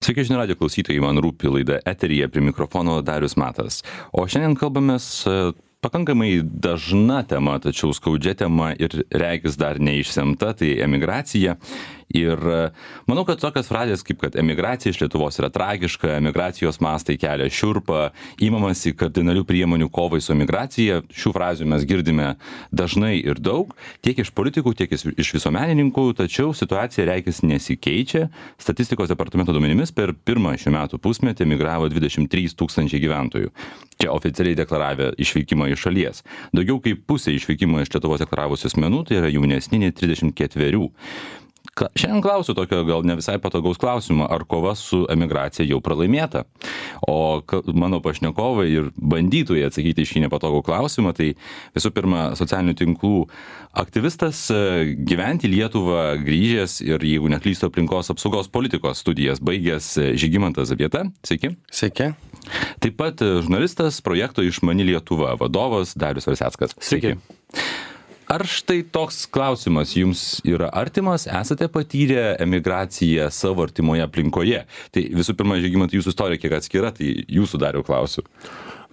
Sveiki žinių radijo klausytojai, man rūpi laida eteryje, prie mikrofono Darius Matas. O šiandien kalbamės pakankamai dažna tema, tačiau skaudžia tema ir regis dar neišsemta, tai emigracija. Ir manau, kad tokios frazės kaip, kad emigracija iš Lietuvos yra tragiška, emigracijos mastai kelia šiurpą, įmamasi kardinalių priemonių kovai su emigracija, šių frazių mes girdime dažnai ir daug, tiek iš politikų, tiek iš visuomenininkų, tačiau situacija regis nesikeičia. Statistikos departamento duomenimis per pirmą šių metų pusmetį emigravo 23 000 gyventojų. Čia oficialiai deklaravę išvykimą iš šalies. Daugiau kaip pusė išvykimą iš Lietuvos deklaravusių asmenų, tai yra jaunesni nei 34. Šiandien klausiu tokio gal ne visai patogaus klausimo, ar kova su emigracija jau pralaimėta. O mano pašnekovai ir bandytojai atsakyti iš šį nepatogų klausimą, tai visų pirma socialinių tinklų aktyvistas, gyventi į Lietuvą grįžęs ir, jeigu neklystu, aplinkos apsaugos politikos studijas baigęs Žygimantas Zabieta. Sveiki. Sveiki. Taip pat žurnalistas, projekto Išmani Lietuva vadovas Darius Verseckas. Sveiki. Ar štai toks klausimas jums yra artimas, esate patyrę emigraciją savo artimoje aplinkoje? Tai visų pirma, Žygimantai, jūsų istorija kiek atskira, tai jūsų Dariau klausiu.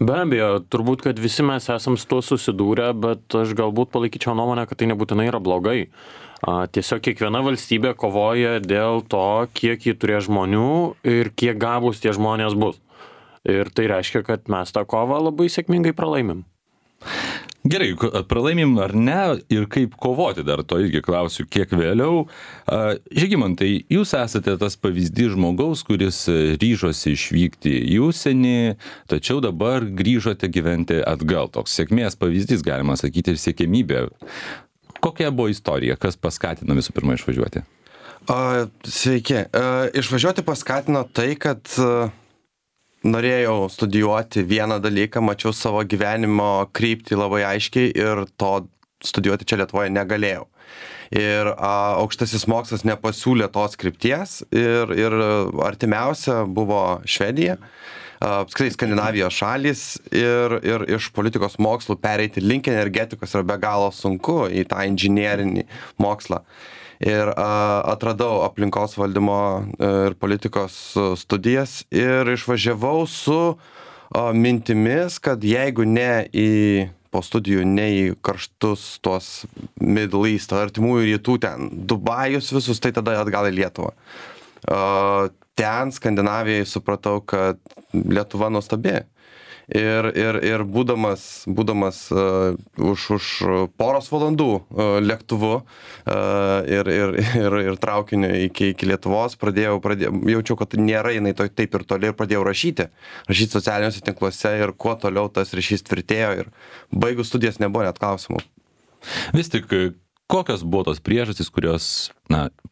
Be abejo, turbūt, kad visi mes esam su tuo susidūrę, bet aš galbūt palaikyčiau nuomonę, kad tai nebūtinai yra blogai. Tiesiog kiekviena valstybė kovoja dėl to, kiek ji turės žmonių ir kiek gabūs tie žmonės bus. Ir tai reiškia, kad mes tą kovą labai sėkmingai pralaimim. Gerai, pralaimim ar ne ir kaip kovoti, dar to irgi klausiu kiek vėliau. Žygimantai, jūs esate tas pavyzdys žmogaus, kuris ryžosi išvykti į užsienį, tačiau dabar grįžote gyventi atgal. Toks sėkmės pavyzdys, galima sakyti, ir siekiamybė. Kokia buvo istorija, kas paskatino visų pirma išvažiuoti? Sveiki. Išvažiuoti paskatino tai, kad norėjau studijuoti vieną dalyką, mačiau savo gyvenimo kryptį labai aiškiai ir to studijuoti čia Lietuvoje negalėjau. Ir aukštasis mokslas nepasiūlė tos krypties ir artimiausia buvo Švedija, apskritai Skandinavijos šalys ir iš politikos mokslų pereiti link energetikos yra be galo sunku į tą inžinierinį mokslą. Ir atradau aplinkos valdymo ir politikos studijas ir išvažiavau su mintimis, kad jeigu po studijų ne į karštus tuos Middle East, artimųjų rytų ten, Dubajus visus, tai tada atgal į Lietuvą. Ten Skandinavijai supratau, kad Lietuva nuostabi. Ir būdamas už poros valandų lėktuvu ir traukiniu iki Lietuvos jaučiau, kad nėra jinai taip ir toli ir pradėjau rašyti socialiniuose tinkluose ir kuo toliau tas ryšys tvirtėjo ir baigus studijas nebuvo net klausimų. Vis tik, kokios buvo tos priežastys, kurios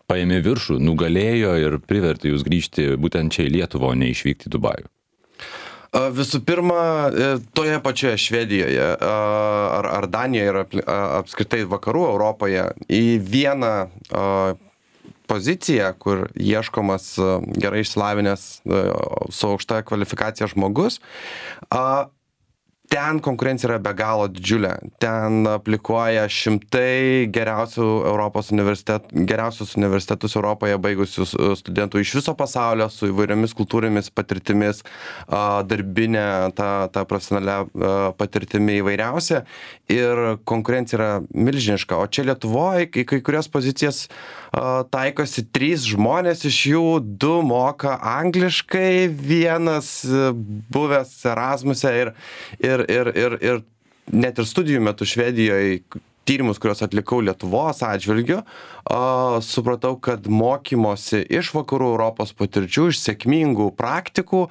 paėmė viršų, nugalėjo ir privertė jūs grįžti būtent čia į Lietuvą, o ne išvykti į Dubajų? Visų pirma, toje pačioje Švedijoje ar Danijoje ir apskritai vakarų Europoje į vieną poziciją, kur ieškomas gerai išsilavinęs su aukšta kvalifikacija žmogus, ten konkurencija yra be galo didžiulė. Ten aplikuoja šimtai geriausius universitetus Europoje baigusių studentų iš viso pasaulio su įvairiomis kultūrėmis patirtimis, darbinė, ta profesionalia patirtimi įvairiausia. Ir konkurencija yra milžiniška. O čia Lietuvoje į kai kurias pozicijas taikosi 3 žmonės, iš jų 2 moka angliškai, vienas buvęs Erasmuse ir net ir studijų metu Švedijoje tyrimus, kuriuos atlikau Lietuvos atžvilgiu, supratau, kad mokymosi iš vakarų Europos patirčių, iš sėkmingų praktikų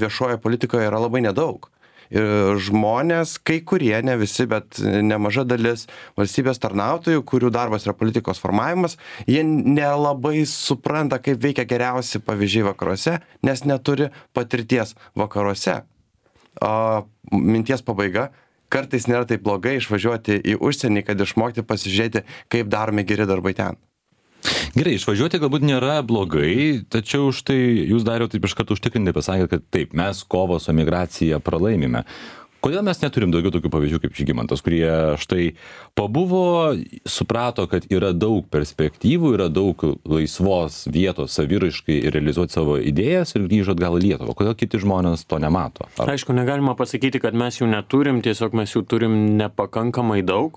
viešoje politikoje yra labai nedaug. Ir žmonės, kai kurie, ne visi, bet nemaža dalis valstybės tarnautojų, kurių darbas yra politikos formavimas, jie nelabai supranta, kaip veikia geriausi pavyzdžiai vakaruose, nes neturi patirties vakaruose. Minties pabaiga, kartais nėra taip blogai išvažiuoti į užsienį, kad išmokti pasižiūrėti, kaip daromi geri darbai ten. Gerai, išvažiuoti galbūt nėra blogai, tačiau štai jūs Dariau taip iš karto užtikrintai pasakėte, kad taip, mes kovą su emigracija pralaimime. Kodėl mes neturim daugiau tokių pavyzdžių kaip Žygimantas, kurie štai pabuvo, suprato, kad yra daug perspektyvų, yra daug laisvos vietos saviraiškai ir realizuoti savo idėjas ir grįžo atgal į Lietuvą. Kodėl kiti žmonės to nemato? Aišku, negalima pasakyti, kad mes jų neturim, tiesiog mes jų turim nepakankamai daug.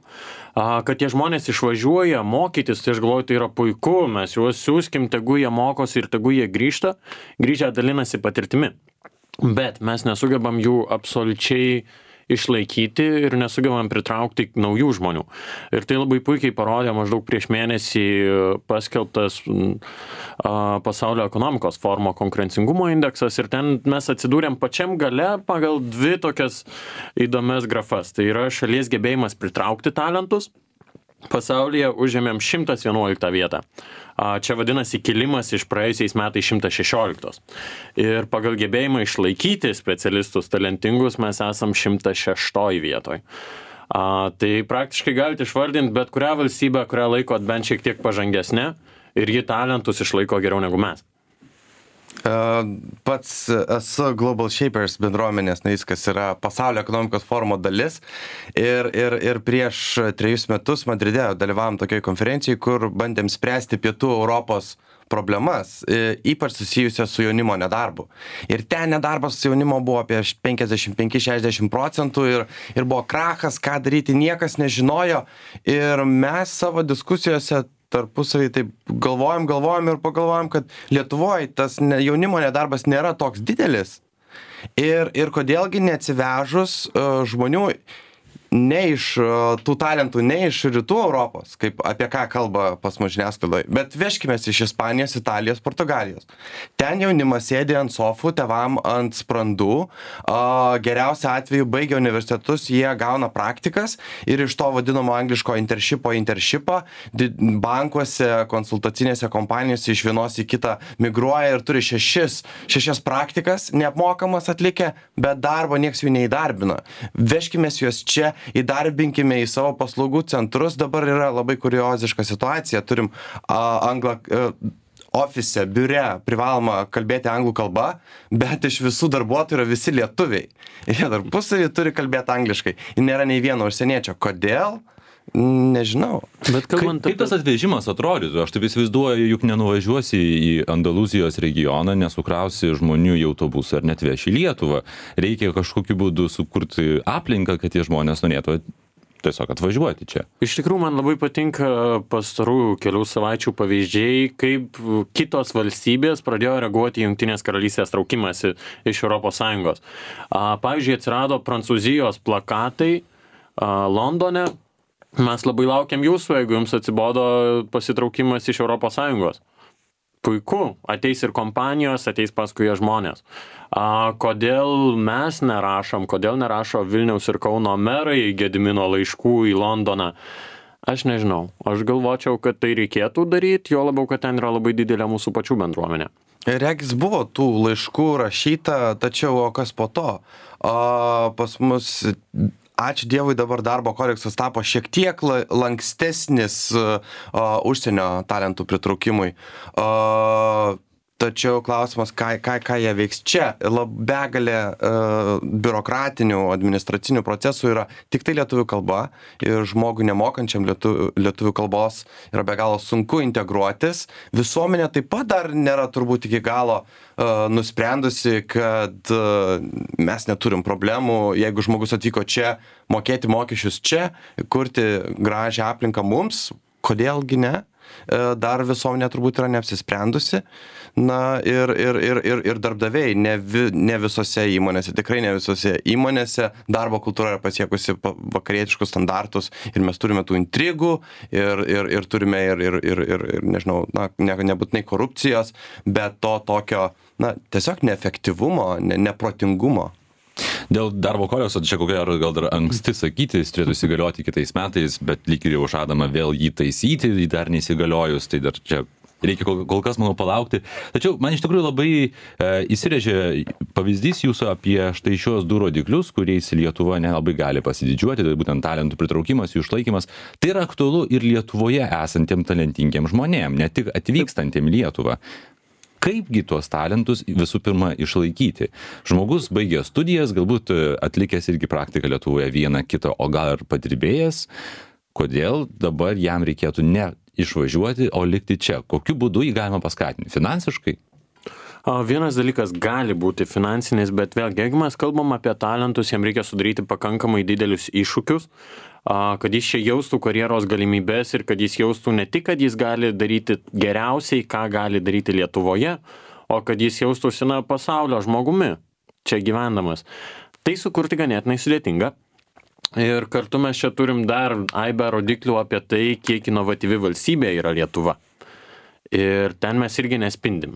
Kad tie žmonės išvažiuoja mokytis, tai aš galvoju, tai yra puiku, mes juos siūskim, tegu jie mokosi ir tegu jie grįžta, grįžę dalinasi patirtimi. Bet mes nesugebam jų absoliučiai išlaikyti ir nesugebam pritraukti naujų žmonių. Ir tai labai puikiai parodė maždaug prieš mėnesį paskelbtas pasaulio ekonomikos forumo konkurencingumo indeksas ir ten mes atsidūrėm pačiam gale pagal dvi tokias įdomias grafas. Tai yra šalies gebėjimas pritraukti talentus. Pasaulyje užėmėm 111 vietą. Čia vadinasi kilimas iš praėjusiais metais 116. Ir pagal gebėjimą išlaikyti specialistus talentingus mes esam 106 vietoj. Tai praktiškai galite išvardinti bet kurią valstybę, kurią laikot bent šiek tiek pažangesnė ir ji talentus išlaiko geriau negu mes. Pats esu Global Shapers bendruomenės narys, kas yra pasaulio ekonomikos forumo dalis. Ir prieš 3 metus Madride dalyvavom tokioj konferencijai, kur bandėm spręsti pietų Europos problemas, ypač susijusias su jaunimo nedarbu. Ir ten nedarbas jaunimo buvo apie 55-60% ir buvo krachas, ką daryti, niekas nežinojo. Ir mes savo diskusijose tarpusavį taip galvojam ir pagalvojam, kad Lietuvoje tas jaunimo nedarbas nėra toks didelis. Ir kodėlgi neatsivežus žmonių ne iš tų talentų, ne iš rytų Europos, kaip apie ką kalba pas mus žiniasklaidoje, bet vežkimės iš Ispanijos, Italijos, Portugalijos. Ten jaunimas sėdi ant sofų, tėvam ant sprandų, geriausia atveju baigia universitetus, jie gauna praktikas ir iš to vadinamo angliško internshipą bankuose, konsultacinėse kompanijose iš vienos į kitą migruoja ir turi šešias praktikas neapmokamas atlikę, bet darbo nieks jų neįdarbina. Vežkimės juos čia, įdarbinkime į savo paslaugų centrus. Dabar yra labai kurioziška situacija. Turim ofise, biure privaloma kalbėti anglų kalba, bet iš visų darbuotojų yra visi lietuviai. Jie tarpusavy turi kalbėti angliškai. Ir nėra nei vieno užsieniečio. Kodėl? Nežinau. Bet kaip tas atvežimas atrodytų? Aš taip įsivaizduoju, juk nenuvažiuosi į Andalūzijos regioną, nesukrausi žmonių į autobusą ar net veši į Lietuvą. Reikia kažkokiu būdu sukurti aplinką, kad tie žmonės norėtų tiesiog atvažiuoti čia. Iš tikrųjų, man labai patinka pastarųjų kelių savaičių pavyzdžiai, kaip kitos valstybės pradėjo reaguoti į Jungtinės karalystės traukimąsi iš ES. Pavyzdžiui, atsirado Prancūzijos plakatai Londone. Mes labai laukiam jūsų, jeigu jums atsibodo pasitraukimas iš ES. Puiku, ateis ir kompanijos, ateis paskui žmonės. Kodėl mes nerašom, kodėl nerašo Vilniaus ir Kauno merai Gedimino laiškų į Londoną? Aš nežinau. Aš galvočiau, kad tai reikėtų daryti, jo labiau, kad ten yra labai didelė mūsų pačių bendruomenė. Regis buvo tų laiškų rašyta, tačiau o kas po to? Pas mus... Ačiū Dievui, dabar darbo kodeksas tapo šiek tiek lankstesnis užsienio talentų pritraukimui. Tačiau klausimas, ką jie veiks čia. Begalė biurokratinių, administracinių procesų yra tik tai lietuvių kalba ir žmogui nemokančiam lietuvių kalbos yra be galo sunku integruotis. Visuomenė taip pat dar nėra turbūt iki galo nusprendusi, kad mes neturim problemų, jeigu žmogus atvyko čia, mokėti mokesčius čia, kurti gražią aplinką mums, kodėlgi ne? Dar visuomenė turbūt yra neapsisprendusi. Na ir darbdaviai, ne visose įmonėse, tikrai ne visose įmonėse darbo kultūra yra pasiekusi vakarietiškus standartus ir mes turime tų intrigų ir turime ir nežinau, nebūtinai korupcijos, bet to tokio, tiesiog neefektyvumo, neprotingumo. Dėl darbo kodekso, čia kokia gal dar anksti sakyti, jis turėtų įsigalioti kitais metais, bet lyg ir jau žadama vėl jį taisyti, dar neįsigaliojus, tai dar čia reikia kol kas, manau, palaukti. Tačiau man iš tikrųjų labai įsirėžė pavyzdys jūsų apie štai šios du rodiklius, kuriais Lietuva nelabai gali pasididžiuoti, tai būtent talentų pritraukimas, jų išlaikymas. Tai yra aktualu ir Lietuvoje esantiem talentingiem žmonėm, ne tik atvykstantiem Lietuvą. kaipgi tuos talentus visų pirma išlaikyti. Žmogus baigė studijas, galbūt atlikęs irgi praktiką Lietuvoje vieną kitą, o gal ir padirbėjęs, kodėl dabar jam reikėtų ne išvažiuoti, o likti čia? Kokiu būdu jį galima paskatinti? Finansiškai? Vienas dalykas gali būti finansinis, bet vėlgi, jeigu mes kalbam apie talentus, jam reikia sudaryti pakankamai didelius iššūkius, kad jis čia jaustų karjeros galimybės ir kad jis jaustų ne tik, kad jis gali daryti geriausiai, ką gali daryti Lietuvoje, o kad jis jaustųsi pasaulio žmogumi, čia gyvendamas. Tai sukurti ganėtinai sudėtinga. Ir kartu mes čia turim dar aibę rodiklių apie tai, kiek inovatyvi valstybė yra Lietuva. Ir ten mes irgi nespindim.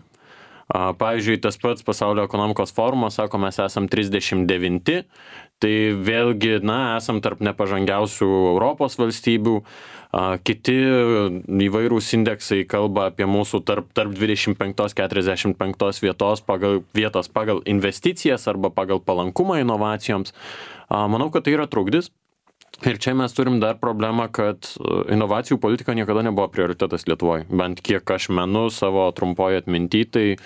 Pavyzdžiui, tas pats Pasaulio ekonomikos forumas sako, mes esam 39, tai vėlgi, esam tarp nepažangiausių Europos valstybių, kiti įvairūs indeksai kalba apie mūsų tarp 25-45 vietos pagal investicijas arba pagal palankumą inovacijoms. Manau, kad tai yra trukdis. Ir čia mes turim dar problemą, kad inovacijų politika niekada nebuvo prioritetas Lietuvoje. Bent kiek aš menu savo trumpoje atminty, tai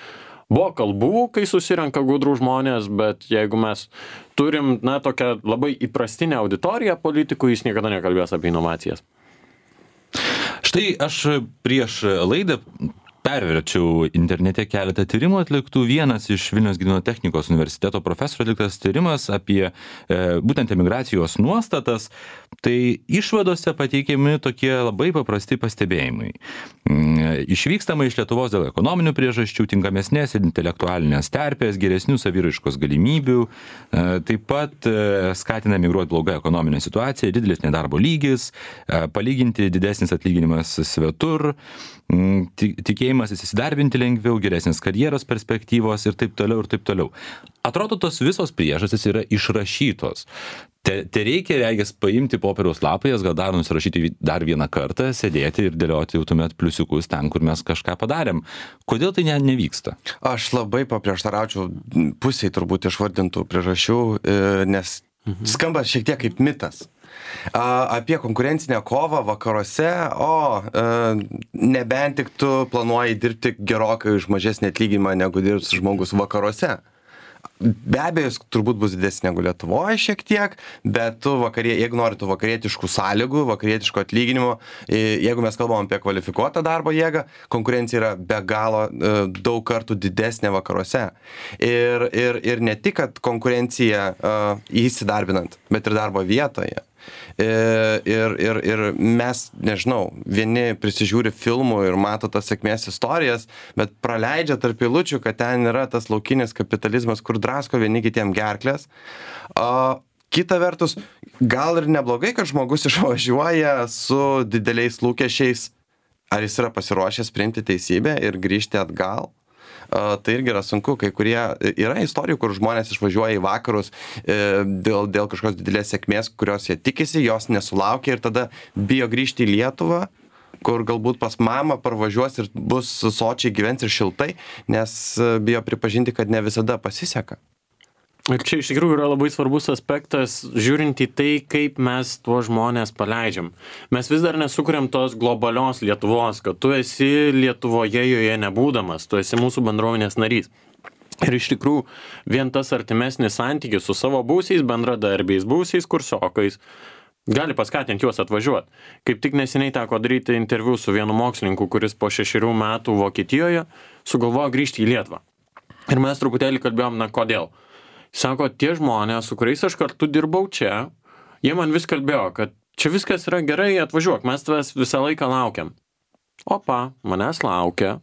buvo kalbų, kai susirenka gudrų žmonės, bet jeigu mes turim, tokią labai įprastinę auditoriją politikų, jis niekada nekalbės apie inovacijas. Štai aš prieš laidą perverčiau internete keletą tyrimų atliktų. Vienas iš Vilniaus Gedimino technikos universiteto profesorių atliktas tyrimas apie būtent emigracijos nuostatas. Tai išvadose pateikiami tokie labai paprasti pastebėjimai. Išvykstama iš Lietuvos dėl ekonominių priežasčių, tinkamesnės intelektualinės terpės, geresnių saviraiškos galimybių. Taip pat skatina emigruoti bloga ekonominė situacija, didelis nedarbo lygis, palyginti didesnis atlyginimas svetur, tikėjimas įsidarbinti lengviau, geresnės karjeros perspektyvos ir taip toliau ir taip toliau. Atrodo, tos visos priežastys yra išrašytos. Te reikia, regis, paimti popieriaus lapą, jas gal dar nusirašyti dar vieną kartą, sėdėti ir dėlioti jau tuomet pliusiukus ten, kur mes kažką padarėm. Kodėl tai nevyksta? Aš labai paprieštaraučiau pusiai turbūt išvardintų priežasčių, nes skamba šiek tiek kaip mitas. Apie konkurencinę kovą vakaruose, nebent tik tu planuoji dirbti gerokai už mažesnį atlyginimą, negu dirbs žmogus vakaruose. Be abejo, jis turbūt bus didesnė negu Lietuvoje šiek tiek, bet jeigu nori tų vakarietiškų sąlygų, vakarietiško atlyginimo, jeigu mes kalbam apie kvalifikuotą darbo jėgą, konkurencija yra be galo daug kartų didesnė vakaruose. Ir ne tik, kad konkurencija įsidarbinant, bet ir darbo vietoje. Ir mes, nežinau, vieni prisižiūri filmų ir mato tas sėkmės istorijas, bet praleidžia tarp eilučių, kad ten yra tas laukinis kapitalizmas, kur drasko vieni kitiem gerklės. Kita vertus, gal ir neblogai, kad žmogus išvažiuoja su dideliais lūkesčiais, ar jis yra pasiruošęs priimti teisybę ir grįžti atgal. Tai irgi yra sunku, kai kurie yra istorijų, kur žmonės išvažiuoja į vakarus dėl kažkokios didelės sėkmės, kurios jie tikisi, jos nesulaukia ir tada bijo grįžti į Lietuvą, kur galbūt pas mamą parvažiuos ir bus sočiai gyvens ir šiltai, nes bijo pripažinti, kad ne visada pasiseka. Ir čia iš tikrųjų yra labai svarbus aspektas, žiūrint į tai, kaip mes tuos žmonės paleidžiam. Mes vis dar nesukuriam tos globalios Lietuvos, kad tu esi Lietuvoje joje nebūdamas, tu esi mūsų bendruomenės narys. Ir iš tikrųjų vien tas artimesnis santykis su savo būsiais bendradarbiais, būsiais kursiokais gali paskatinti juos atvažiuoti. Kaip tik neseniai teko daryti interviu su vienu mokslininku, kuris po 6 metų Vokietijoje sugalvojo grįžti į Lietuvą. Ir mes truputėlį kalbėjom, kodėl. Sako, tie žmonės, su kuriais aš kartu dirbau čia, jie man vis kalbėjo, kad čia viskas yra gerai, atvažiuok, mes tavęs visą laiką laukiam. Opa, manęs laukia,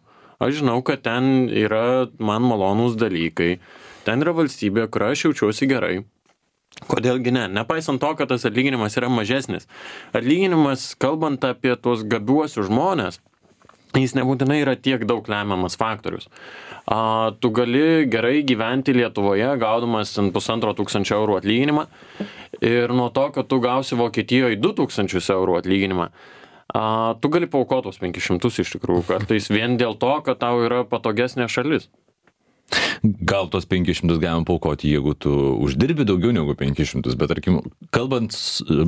aš žinau, kad ten yra man malonūs dalykai, ten yra valstybė, kur aš jaučiuosi gerai. Kodėlgi ne? Nepaisant to, kad tas atlyginimas yra mažesnis. Atlyginimas, kalbant apie tuos gabiuosius žmonės, jis nebūtinai yra tiek daug lemiamas faktorius. Tu gali gerai gyventi Lietuvoje, gaudamas 1500 eurų atlyginimą ir nuo to, kad tu gausi Vokietijoje 2000 eurų atlyginimą, tu gali paaukotos 500 iš tikrųjų kartais vien dėl to, kad tau yra patogesnė šalis. Gal tos 500 galima paaukoti, jeigu tu uždirbi daugiau negu 500, bet tarkim, kalbant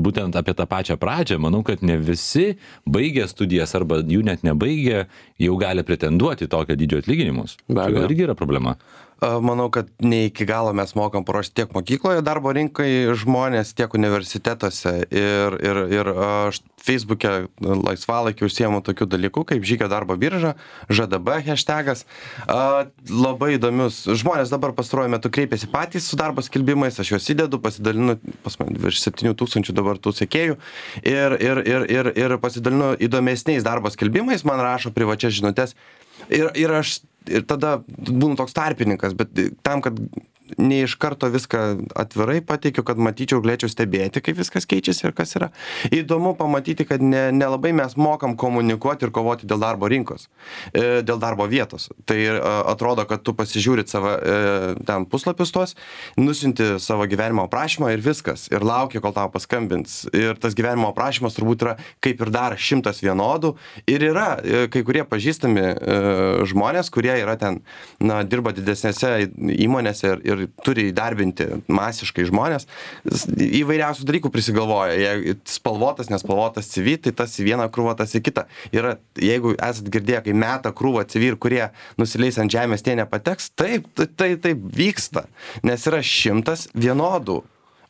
būtent apie tą pačią pradžią, manau, kad ne visi baigę studijas arba jų net nebaigę jau gali pretenduoti tokio dydžio atlyginimus. Be abejo. Tai irgi yra problema. Manau, kad ne iki galo mes mokam paruošti tiek mokykloje darbo rinkai žmonės, tiek universitetuose. Ir aš Facebook'e laisvalaikiu užsiemu tokių dalykų, kaip žygio darbo birža, ŽDB hashtagas. Labai įdomius. Žmonės dabar pastaruoju metu kreipiasi patys su darbo skelbimais, aš juos įdedu, pasidalinu, pas man virš 7000 dabar tų sekėjų. Ir pasidalinu įdomesniais darbo skelbimais, man rašo privačias žinutės. Ir tada būnu toks tarpininkas, bet tam, kad ne iš karto viską atvirai pateikiu, kad matyčiau, galėčiau stebėti, kaip viskas keičiasi ir kas yra. Įdomu pamatyti, kad nelabai mes mokam komunikuoti ir kovoti dėl darbo rinkos, dėl darbo vietos. Tai atrodo, kad tu pasižiūrit savo ten puslapius tuos, nusinti savo gyvenimo aprašymą ir viskas. Ir lauki, kol tau paskambins. Ir tas gyvenimo aprašymas turbūt yra kaip ir dar 100 vienodų. Ir yra kai kurie pažįstami žmonės, kurie yra ten, dirba didesnėse įmonėse ir turi įdarbinti masiškai žmonės, įvairiausių dalykų prisigalvoja. Jei spalvotas, nespalvotas CV, tai tas į vieną krūvą, tas į kitą. Yra, jeigu esat girdėję, kai meta krūvą CV ir kurie nusileis ant žemės, tie nepateks, taip vyksta, nes yra 100 vienodų.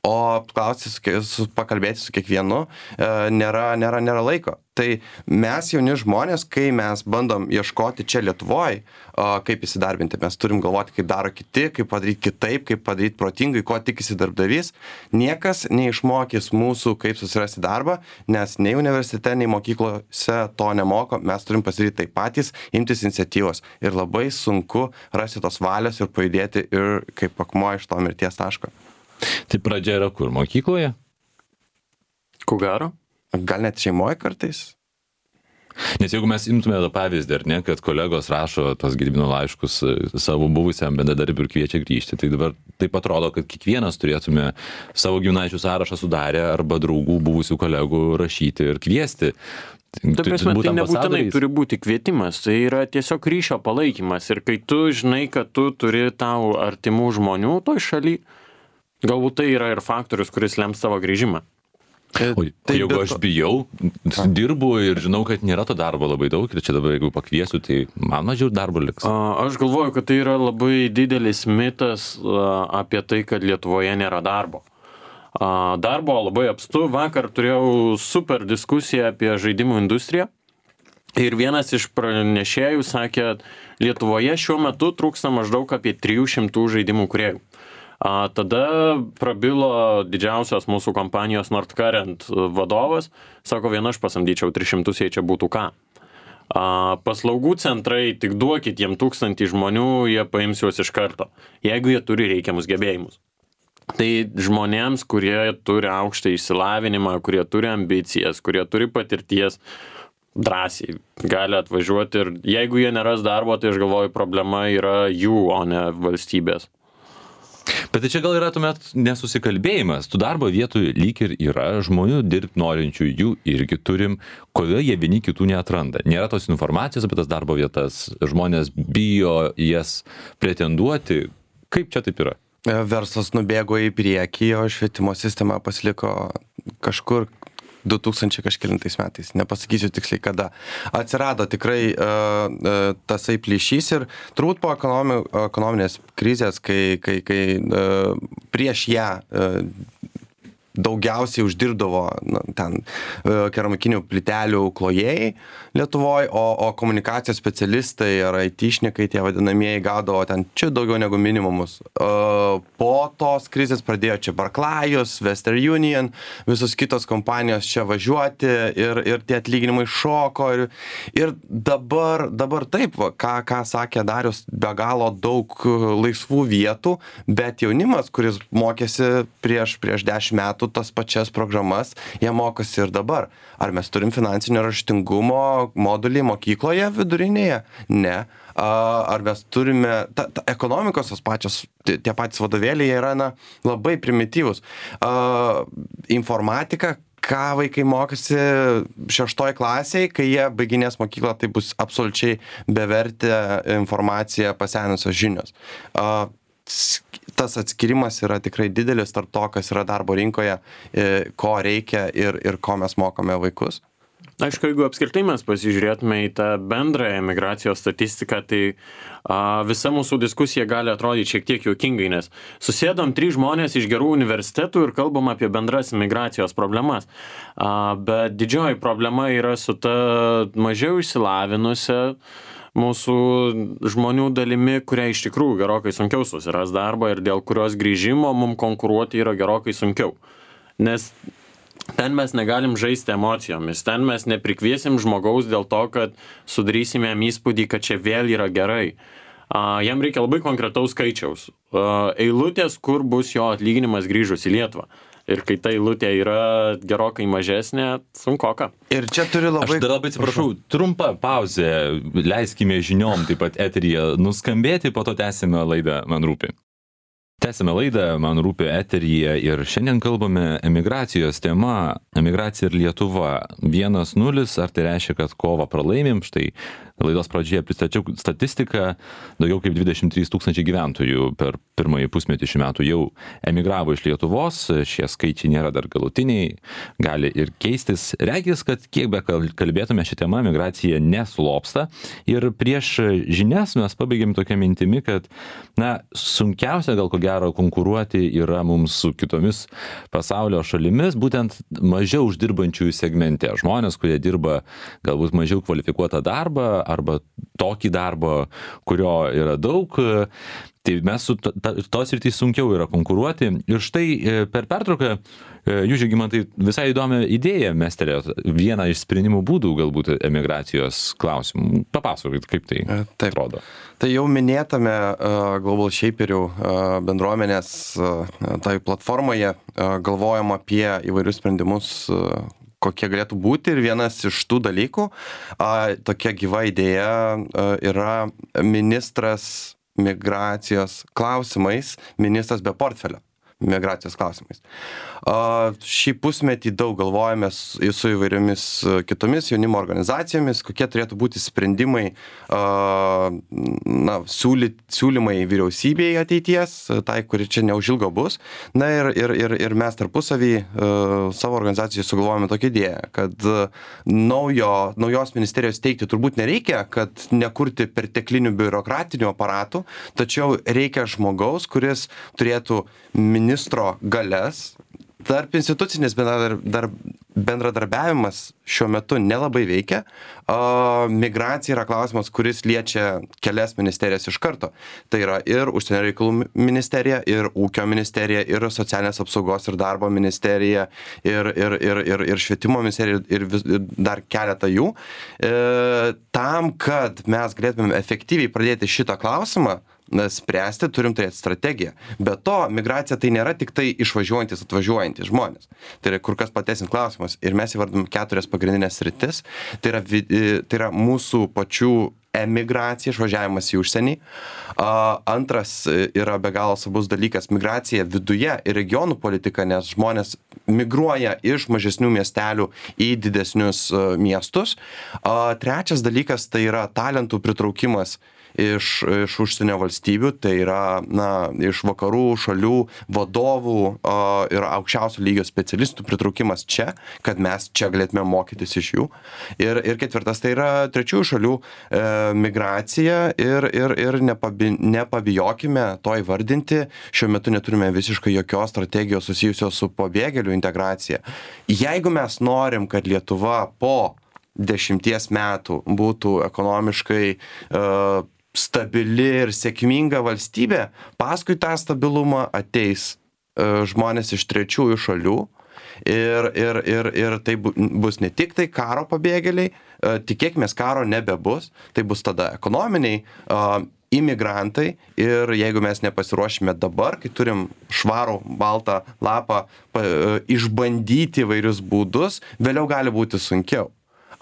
O pakalbėti su kiekvienu nėra laiko. Tai mes jauni žmonės, kai mes bandom ieškoti čia Lietuvoje, kaip įsidarbinti, mes turim galvoti, kaip daro kiti, kaip padaryti kitaip, kaip padaryti protingai, ko tikisi darbdavys. Niekas neišmokys mūsų, kaip susirasti darbą, nes nei universitete, nei mokyklose to nemoko, mes turim pasidaryti tai patys, imtis iniciatyvos. Ir labai sunku rasti tos valios ir pajudėti ir kaip akmuo iš to mirties taško. Tai pradžia yra kur? Mokykloje? Ko gero? Gal net šeimoje kartais? Nes jeigu mes imtume tą pavyzdį, ar ne, kad kolegos rašo tos Gedimino laiškus savo buvusiam bendradarbiui ir kviečia grįžti, tai dabar taip atrodo, kad kiekvienas turėtume savo giminaičių sąrašą sudarę arba draugų buvusių kolegų rašyti ir kviesti. Ta prasme, tai nebūtinai turi būti kvietimas, tai yra tiesiog ryšio palaikymas. Ir kai tu žinai, kad tu turi tau artimų žmonių toj šaly, galbūt tai yra ir faktorius, kuris lems tavo grįžimą. O jeigu aš bijau, dirbu ir žinau, kad nėra to darbo labai daug ir čia dabar jeigu pakviesiu, tai man mažiau darbo liks. Aš galvoju, kad tai yra labai didelis mitas apie tai, kad Lietuvoje nėra darbo. Darbo labai apstu. Vakar turėjau super diskusiją apie žaidimų industriją. Ir vienas iš pranešėjų sakė, Lietuvoje šiuo metu trūksta maždaug apie 300 žaidimų kūrėjų. Tada prabilo didžiausios mūsų kompanijos Nordcurrent vadovas, sako, aš pasamdyčiau 300, jei čia būtų ką. Paslaugų centrai, tik duokit jiem 1000 žmonių, jie paims juos iš karto, jeigu jie turi reikiamus gebėjimus. Tai žmonėms, kurie turi aukštą išsilavinimą, kurie turi ambicijas, kurie turi patirties, drąsiai gali atvažiuoti ir jeigu jie neras darbo, tai aš galvoju, problema yra jų, o ne valstybės. Bet tai čia gal yra tuomet nesusikalbėjimas. Tų darbo vietų lyg ir yra, žmonių dirbti norinčių jų irgi turim, kodėl jie vieni kitų neatranda. Nėra tos informacijos apie tas darbo vietas, žmonės bijo jas pretenduoti. Kaip čia taip yra? Verslas nubėgo į priekį, o švietimo sistema pasiliko kažkur 2000 kažkelintais metais, nepasakysiu tiksliai kada. Atsirado tikrai tasai plyšys ir turbūt po ekonominės krizės, kai prieš ją daugiausiai uždirbdavo ten keramikinių plytelių klojėjai Lietuvoje, o komunikacijos specialistai ar IT-šnikai, tie vadinamieji, gaudavo ten čia daugiau negu minimumus. Po tos krizės pradėjo čia Barclayus, Western Union, visos kitos kompanijos čia važiuoti ir tie atlyginimai šoko. Ir dabar taip, ką sakė Darius, be galo daug laisvų vietų, bet jaunimas, kuris mokėsi prieš 10 metų tas pačias programas, jie mokosi ir dabar. Ar mes turim finansinio raštingumo modulį mokykloje vidurinėje? Ne. Ar mes turime, ekonomikos tie patys vadovėliai yra labai primityvus. Informatika, ką vaikai mokosi 6 klasėje, kai jie baiginės mokyklą, tai bus absoliučiai bevertė informacija, pasenusios žinios. Tas atskirimas yra tikrai didelis tarp to, kas yra darbo rinkoje, ko reikia ir ko mes mokome vaikus. Aišku, jeigu apskritai mes pasižiūrėtume į tą bendrąją migracijos statistiką, tai visa mūsų diskusija gali atrodyti šiek tiek juokingai, nes susėdom 3 žmonės iš gerų universitetų ir kalbam apie bendras migracijos problemas. Bet didžioji problema yra su ta mažiau išsilavinusia mūsų žmonių dalimi, kuria iš tikrųjų gerokai sunkiau susiras darbą ir dėl kurios grįžimo mums konkuruoti yra gerokai sunkiau. Nes ten mes negalim žaisti emocijomis, ten mes neprikviesim žmogaus dėl to, kad sudarysime jam įspūdį, kad čia vėl yra gerai. Jam reikia labai konkretaus skaičiaus. Eilutės, kur bus jo atlyginimas grįžus į Lietuvą. Ir kai ta eilutė yra gerokai mažesnė, sunkoka. Ir čia turi labai... Aš dar labai atsiprašau, trumpa pauzė, leiskime žiniom taip pat eteryje nuskambėti, po to tęsime laidą Man rūpi. Tęsime laidą Man rūpi eteryje ir šiandien kalbame emigracijos tema, emigracija ir Lietuva 1-0, ar tai reiškia, kad kovą pralaimim? Štai laidos pradžioje pristačiau statistiką, daugiau kaip 23 000 gyventojų per pirmąjį pusmetį šių metų jau emigravo iš Lietuvos, šie skaičiai nėra dar galutiniai, gali ir keistis. Regis, kad kiek be kalbėtume šią temą, migracija neslopsta ir prieš žinias mes pabaigėm tokią mintimi, kad sunkiausia gal ko gero konkuruoti yra mums su kitomis pasaulio šalimis, būtent mažiau uždirbančiųjų segmente. Žmonės, kurie dirba galbūt mažiau kvalifikuotą darbą arba tokį darbą, kurio yra daug, tai mes su tos rytys sunkiau yra konkuruoti. Ir štai per pertrauką jūs, Žygimantai, visai įdomią idėją mestelėjot, vieną iš sprendimų būdų galbūt emigracijos klausimų. Papasakokit, kaip tai atrodo. Tai jau minėtame Global Shaperių bendruomenės tai platformoje galvojam apie įvairius sprendimus, kokie galėtų būti, ir vienas iš tų dalykų, tokia gyva idėja yra ministras migracijos klausimais, ministras be portfelio migracijos klausimais. Šį pusmetį daug galvojame su įvairiomis kitomis jaunimo organizacijomis, kokie turėtų būti sprendimai, siūlymai vyriausybėje ateities, tai, kuri čia neužilgo bus. Na ir mes tarpusavį savo organizacijai sugalvojame tokią idėją, kad naujos ministerijos teikti turbūt nereikia, kad nekurti perteklinių biurokratinių aparatų, tačiau reikia žmogaus, kuris turėtų ministro galias. Tarp institucinis bendradarbiavimas šiuo metu nelabai veikia. Migracija yra klausimas, kuris liečia kelias ministerijas iš karto. Tai yra ir Užsienio reikalų ministerija, ir Ūkio ministerija, ir Socialinės apsaugos ir darbo ministerija, ir Švietimo ministerija, ir dar keletą jų. Tam, kad mes galėtume efektyviai pradėti šitą klausimą spręsti, turim turėti strategiją. Be to, migracija tai nėra tik tai išvažiuojantis, atvažiuojantis žmonės. Tai yra kur kas platesnis klausimas. Ir mes įvardom 4 pagrindinės sritis. Tai yra mūsų pačių emigracija, išvažiavimas į užsienį. Antras yra be galo svarbus dalykas - migracija viduje ir regionų politika, nes žmonės migruoja iš mažesnių miestelių į didesnius miestus. Trečias dalykas tai yra talentų pritraukimas iš užsienio valstybių, tai yra iš vakarų šalių vadovų ir aukščiausio lygio specialistų pritraukimas čia, kad mes čia galėtume mokytis iš jų. Ir ketvirtas tai yra trečiųjų šalių migracija ir nepabijokime to įvardinti. Šiuo metu neturime visiškai jokios strategijos susijusios su pabėgėlių integracija. Jeigu mes norim, kad Lietuva po 10 metų būtų ekonomiškai stabili ir sėkminga valstybė, paskui tą stabilumą ateis žmonės iš trečiųjų šalių ir tai bus ne tik tai karo pabėgėliai, tikėkime, karo nebebus, tai bus tada ekonominiai imigrantai ir jeigu mes nepasiruošime dabar, kai turim švarų baltą lapą išbandyti įvairius būdus, vėliau gali būti sunkiau.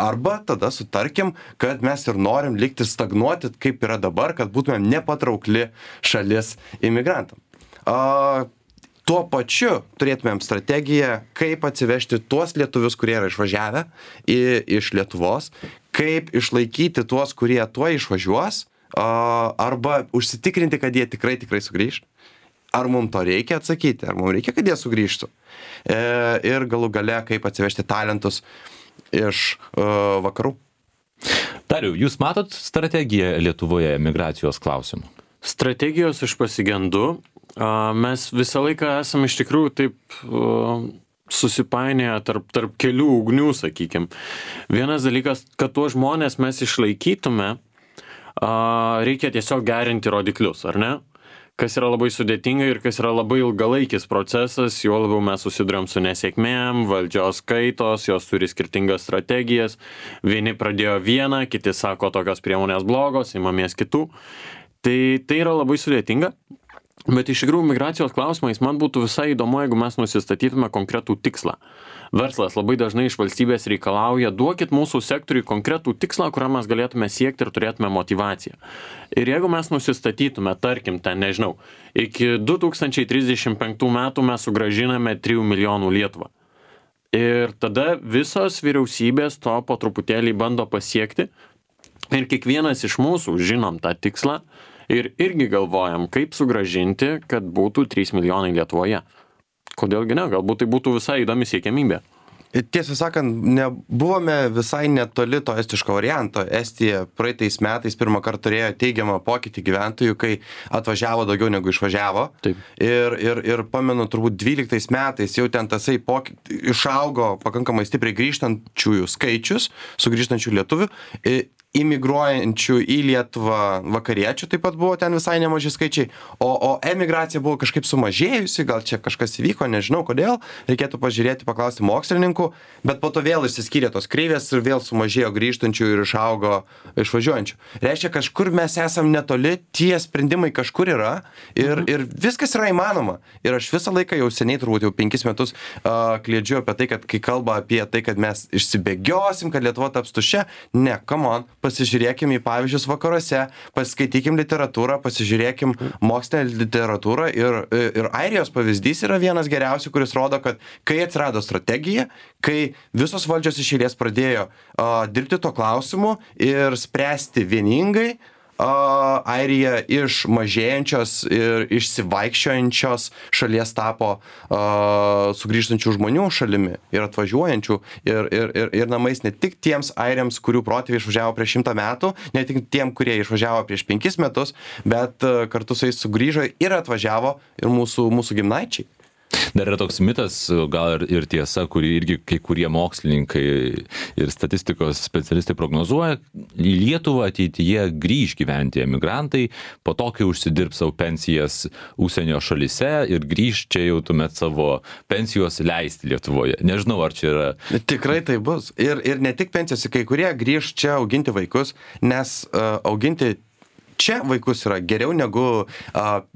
Arba tada sutarkim, kad mes ir norim likti stagnuoti, kaip yra dabar, kad būtumėm nepatraukli šalis imigrantam. tuo pačiu turėtumėm strategiją, kaip atsivežti tuos lietuvius, kurie yra išvažiavę iš Lietuvos, kaip išlaikyti tuos, kurie tuo išvažiuos, arba užsitikrinti, kad jie tikrai sugrįš. Ar mums to reikia atsakyti, ar mums reikia, kad jie sugrįžtų. Ir galų gale, kaip atsivežti talentus iš vakarų. Dariau, jūs matot strategiją Lietuvoje migracijos klausimų? Strategijos aš pasigendu. Mes visą laiką esame iš tikrųjų taip susipainėję tarp kelių ugnių, sakykim. Vienas dalykas, kad tuos žmonės mes išlaikytume, reikia tiesiog gerinti rodiklius, ar ne? Kas yra labai sudėtinga ir kas yra labai ilgalaikis procesas, juo labiau mes susiduriam su nesėkmėm, valdžios kaitos, jos turi skirtingas strategijas, vieni pradėjo vieną, kiti sako, tokios priemonės blogos, imamės kitų. Tai yra labai sudėtinga, bet iš tikrųjų migracijos klausimais man būtų visai įdomu, jeigu mes nusistatytume konkretų tikslą. Verslas labai dažnai iš valstybės reikalauja, duokit mūsų sektoriui konkretų tikslą, kurią mes galėtume siekti ir turėtume motivaciją. Ir jeigu mes nusistatytume, tarkim, ten, nežinau, iki 2035 metų mes sugrąžiname 3 milijonų Lietuvą. Ir tada visos vyriausybės to po truputėlį bando pasiekti ir kiekvienas iš mūsų žinom tą tikslą ir irgi galvojam, kaip sugrąžinti, kad būtų 3 milijonai Lietuvoje. Kodėlgi ne? Galbūt tai būtų visai įdomi siekiamybė. Tiesą sakant, buvome visai netoli to estiško varianto. Estija praeitais metais pirmą kartą turėjo teigiamą pokytį gyventojų, kai atvažiavo daugiau negu išvažiavo. Taip. Ir pamenu, turbūt 12 metais jau ten tasai išaugo pakankamai stipriai grįžtančiųjų skaičius, sugrįžtančių lietuvių. Imigruojančių į Lietuvą vakariečių taip pat buvo ten visai nemaži skaičiai, o emigracija buvo kažkaip sumažėjusi, gal čia kažkas įvyko, nežinau kodėl, reikėtų pažiūrėti, paklausti mokslininkų, bet po to vėl išsiskyrė tos kreivės ir vėl sumažėjo grįžtančių ir išaugo išvažiuojančių. Reiškia, kažkur mes esam netoli, tie sprendimai kažkur yra ir viskas yra įmanoma. Ir aš visą laiką jau seniai, turbūt jau 5 metus kliedžiu apie tai, kad kai kalba apie tai, kad mes išsibėgiosim, kad Lietuva taps tuščia, ne, come on. Pasižiūrėkim į pavyzdžius vakaruose, paskaitykim literatūrą, pasižiūrėkim mokslinę literatūrą ir Airijos pavyzdys yra vienas geriausių, kuris rodo, kad kai atsirado strategija, kai visos valdžios iš eilės pradėjo dirbti to klausimu ir spręsti vieningai, Airija iš mažėjančios ir išsivaikščiojančios šalies tapo sugrįžtančių žmonių šalimi ir atvažiuojančių ir namais ne tik tiems airiams, kurių protėviai išvažiavo prieš 100 metų, ne tik tiem, kurie išvažiavo prieš 5 metus, bet kartu su jais sugrįžo ir atvažiavo ir mūsų giminaičiai. Dar yra toks mitas, gal ir tiesa, kurį irgi kai kurie mokslininkai ir statistikos specialistai prognozuoja, į Lietuvą ateityje grįž gyventi emigrantai, po to, kai užsidirbs savo pensijas užsienio šalyse ir grįž čia jau tuomet savo pensijos leisti Lietuvoje. Nežinau, ar čia yra... Tikrai tai bus. Ir ne tik pensijos, kai kurie grįž čia auginti vaikus, nes auginti čia vaikus yra geriau negu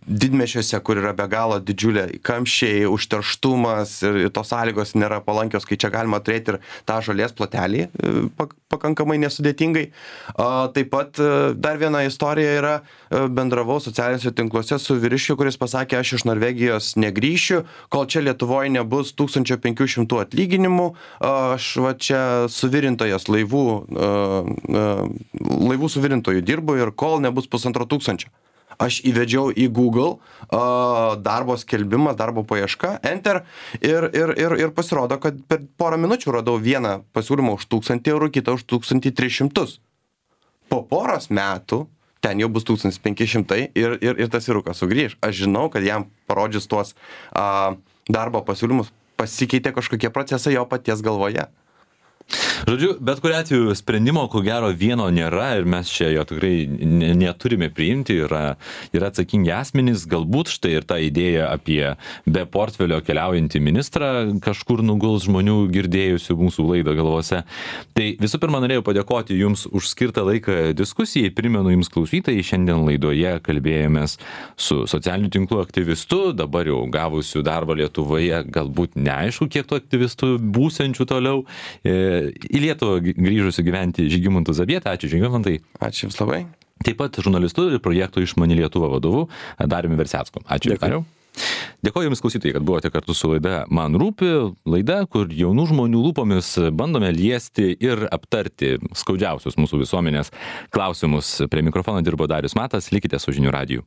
didmiesčiuose, kur yra be galo didžiulė kamščiai, užterštumas ir tos sąlygos nėra palankios, kai čia galima turėti ir tą žolės plotelį pakankamai nesudėtingai. Taip pat dar viena istorija yra, bendravau socialiniuose tinkluose su vyriškiu, kuris pasakė, aš iš Norvegijos negrįšiu, kol čia Lietuvoje nebus 1500 atlyginimų, aš va čia suvirintojas laivų suvirintojų dirbu ir kol nebus 1500. Aš įvedžiau į Google darbo skelbimas, darbo paieška, enter ir pasirodo, kad per porą minučių radau vieną pasiūlymą už 1000 eurų, kitą už 1300. Po poros metų ten jau bus 1500 ir tas vyrukas sugrįž. Aš žinau, kad jam parodžius tuos darbo pasiūlymus pasikeitė kažkokie procesai jo paties galvoje. Žodžiu, bet kuriuo atveju sprendimo, ko gero, vieno nėra ir mes čia jo tikrai neturime priimti, yra atsakingi asmenys, galbūt štai ir ta idėja apie be portfelio keliaujantį ministrą kažkur nuguls žmonių girdėjusių mūsų laidą galvose. Tai visų pirma, norėjau padėkoti Jums už skirtą laiką diskusijai, primenu Jums klausytojai, šiandien laidoje kalbėjomės su socialinių tinklų aktyvistu, dabar jau gavusiu darbą Lietuvoje, galbūt neaišku, kiek tų aktyvistų būsiančių toliau, į Lietuvą grįžusiu gyventi Žygimantu Zabieta. Ačiū, Žygimantai. Ačiū Jums labai. Taip pat žurnalistu ir projekto Išmani Lietuva vadovu Dariumi Versecku. Ačiū, Dariau. Dėkoju Jums klausytojai, kad buvote kartu su laida Man rūpi, laida, kur jaunų žmonių lūpomis bandome liesti ir aptarti skaudžiausius mūsų visuomenės klausimus. Prie mikrofono dirbo Darius Matas, likite su Žinių radiju.